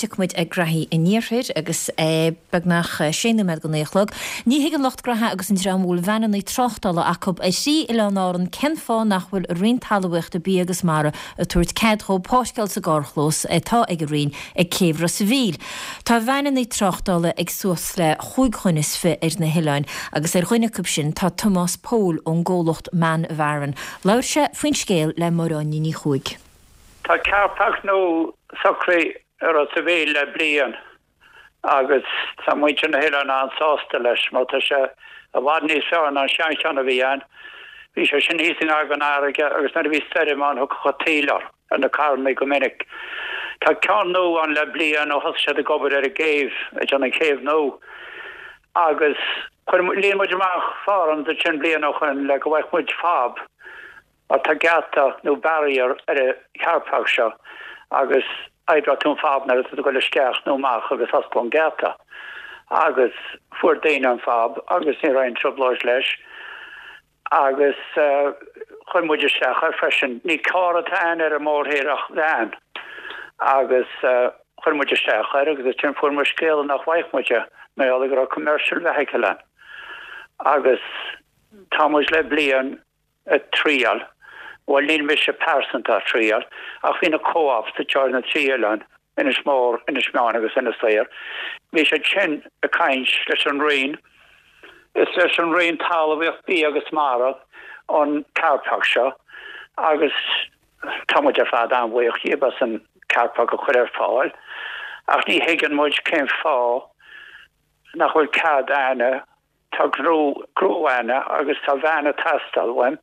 tiocfaidh muid ar ghraithí an iarthair agus é beagnach sé nóiméad go naoi a chlog. Ní thuigeann lucht graithe agus an dream a bhfuil veaineanna tráchtála acu ar thrí oileán Árann cén fáth nach bhfuil an Roinn Talmhaíochta, Bia agus Mara ag tabhairt cead dhóibh páirceáil sa gcarrchlós atá ag an Roinn ag céibh Ros a' Mhíl. Tá veaineanna tráchtála ag suas le chúig dhuine is fi ar na hoileáin agus ar dhuine acu sin tá Tomás Pól ón gcomhlacht Man of Aran. Labhair sé faoin scéal le Máire Áine Ní Chuaig. Tá carpark nua socraithe i Ros a' Mhíl le bliain agus tá muintir na hoileáin an-sásta leis mar tá sé i bhfad níos fearr ná an seancheann a bhí ann. Bhí sé sin thíos i ngar don fharraige agus nuair a bhí stoirm ann thiocfadh an taoille ar na carrannaí go minic. Tá ceann nua ann le bliain ó thosaigh siad ag obair ar an gcéibh, ag déanamh an chéibh nua agus chuir, líon muid amach forms ansin bliain ó shoin le go bhfaigheadh muid fob Mar tá geata nó barrier ar an charpark seo agus oibreoidh tú an fob nuair atá tú ag dul isteach nó amach agus osclóidh an geata. Agus fuair daoine an fob agus ní raibh aon trioblóid leis agus chuir muid isteach air freisin. Ní carr atá ann ar an mórthír ach veain agus chuir muid isteach air agus ansin fuair muid scéala nach bhfaigheadh muid é mar gheall go raibh commercial vehicle ann. Agus tá muid le bliain ag triail, bhuel níl mise pearsanta ag triail, ach bhí na co-ops atá ar na trí oileán, Inis Mór, Inis Meáin agus Inis Oírr, bhí siad sin ag caint leis an Roinn, is leis an Roinn Talmhaíocht, Bia agus Mara an carpark seo agus tá muid ar fad an-bhuíoch díobh as an carpark a chur ar fáil ach ní thuigeann muid cén fáth nach bhfuil cead a'inne Tá gnó a'inne agus tá veain ag teastáil uaim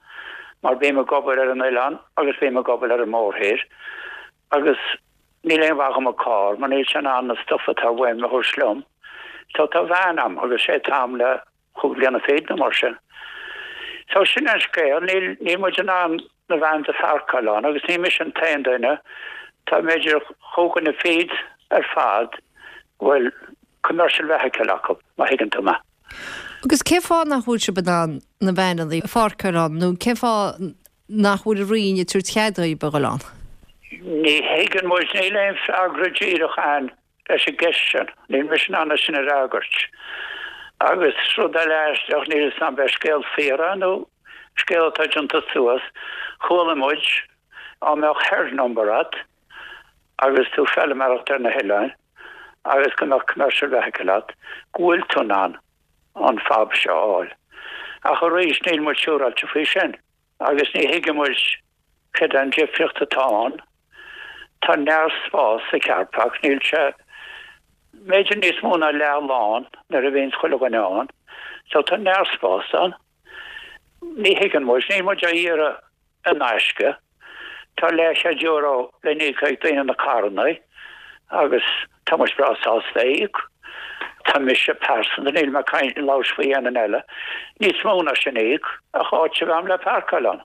mar bím ag obair ar an oileán agus bím ag obair ar an mórthír agus níl aon mhaith dhom an carr mar níl sé in ann na stuff atá uaim a thabhairt liom. So tá veain a'm agus sé atá a'm le chúig bhliana fichead nó mar sin. So sin an scéal, níl, níl muid in ann na vans a pharcáil ann agus ní mise an t-aon duine, tá b'fhéidir chúig dhuine fichead ar fad go bhfuil commercial vehicle acu, má thuigeann tú mé. Agus cén fáth nach bhfuil sibh in ann na veaineanna a pháirceáil ann nó cén fáth nach bhfuil an Roinn ag tabhairt cead daoibh a dhul ann? Ní thuigeann muid, níl aon freagra díreach a'inn leis an gceist sin. Níl mise in ann é sin a fhreagairt. Agus rud eile aisteach, níl 'fhios a'm an scéal fíor é nó scéal atá déanta suas, chuala muid á mbeadh herd number a't agus tú feilméaracht ar na hoileáin agus go mbeadh commercial vehicle a't, go bhfuil tú in ann an fob seo a fháil. Ach arís, níl muid siúráilte faoi sin agus ní thuigeann muid céard é an difríocht atá ann. Tá neart spás sa carpark, níl sé b'fhéidir níos mó ná leath lán nuair a bhíonns chuile dhuine ann. So tá neart spás ann. Ní thuigeann muid, níl muid á iarraidh in aisce. Tá leathchéad euro le n-íoc ag daoine na carrannaí agus tá muid breá sásta é íoc. Tá mise pearsanta, níl mé ag caint, labhairt faoi aon duine eile, níos mó ná sin a íoc ach áit a bheith a'm le parcáil ann.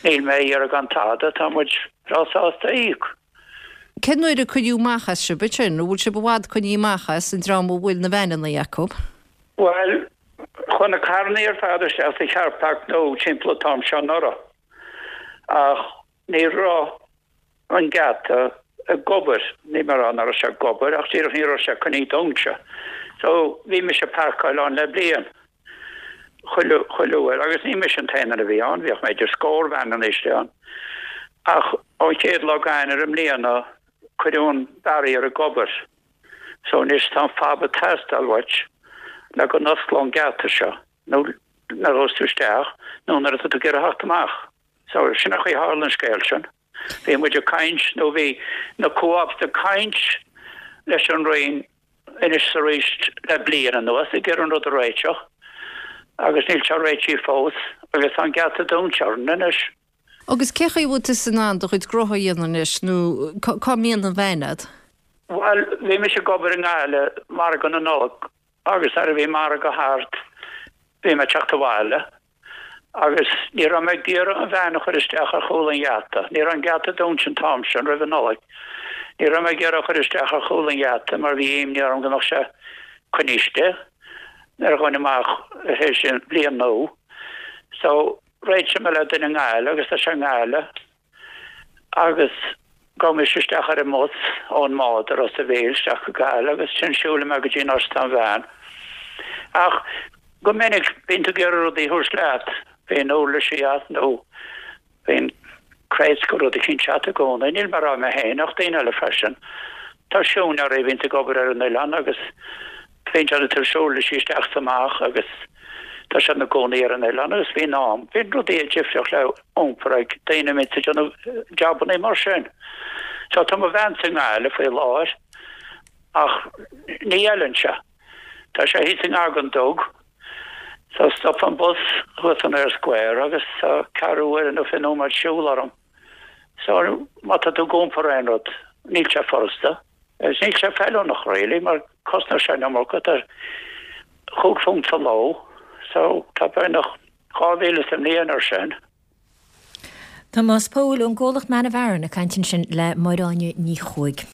Níl mé a iarraidh gan tada, tá muid breá sásta a íoc. Cén uair a cuireadh amach as sibh ansin? An bhfuil sibh i bhfad coinnithe amach as, an dream a bhfuil na veaineanna acu? Bhuel, chuaigh na carrannaí ar fad isteach sa charpark nua timpeall an t-am seo anuraidh ach ní raibh an geata ag obair, níl mé ag rá nach raibh sé ag obair ach díreach ní raibh sé coinnithe dúnta. So bhí mise ag parcáil ann le bliain, chuile, chuile uair agus ní mise an t-aon duine a bhí ann, bhíodh b'fhéidir scór veaineanna istigh ann. Ach ón chéad lá d'Eanáir i mbliana cuireadh an barrier ag obair. So anois tá an fob ag teastáil uait le go n-osclódh an geata seo nó nuair a ghabhas tú isteach nó nuair atá tú ag iarraidh theacht amach. So sin an chaoi a tharla an scéal sin. Bhí muid ag caint nó bhí na co-ops ag caint leis an Roinn anois is arís le bliain anuas ag iarraidh an rud a réiteach agus níl sé réitithe fós agus tá an geata dúnta orainn anois. Agus cé chaoi a bhfuil tusa in ann do chuid gnótha a dhéanamh anois nó cá mbíonn an veain a'd? Bhuel, bhí mise ag obair i nGaillimh, margadh na Nollag, agus nuair a bhí margadh thart bhí mé ag teacht abhaile agus ní raibh mé ag iarraidh an veain a chur isteach ar chúl an gheata. Ní raibh an geata dúnta an t-am sin roimh an Nollaig. Ní raibh mé ag iarraidh a chur isteach ar chúl an gheata mar bhí imní orm go mbeadh sé coinnithe istigh nuair a ghabhfainn amach tar éis an bhliain nua. So. Réitigh mé le duine i nGaillimh agus tá sé i nGaillimh agus Gabhaim isteach ar an mbus ón mbád i Ros a' Mhíl isteach go Gaillimh agus ansin siúlaim mé go dtí an áit atá an veain. Ach go minic bíonn tú ag iarraidh rudaí a thabhairt leat, bíonn uirlisí agat nó bíonn crates go rud eicínt agat i gcónaí. Níl mé ag rá mé féin ach daoine eile freisin. Tá siúinéirí a bhíonns ag obair ar an oileán agus Bíonn siad ag tabhairt uirlisí isteach is amach agus tá siad ina gcónaí ar an oileán agus bíonn am, bíonn rudaí difriúil le iompar ag daoine a mbíonns ag déanamh jabannaí mar sin. So tá mo veain i nGaillimh faoi láthair ach ní fheileann sé. Tá sé thíos i ngar don Dug. So stop an bus thuas san Eyre Square agus tá ceathrú uaire nó 20 nóiméad siúl orm. So má tá tú ag iompar aon rud, níl sé furasta. Agus níl sé feiliúnach really mar cosnóidh sé an iomarca, tá £5 sa ló, so tá beagnach 2,000 sa mbliain ar sin. Tomás Pól ón gcomhlacht Man of Aran ag caint ansin le Máire Áine Ní Chuaig.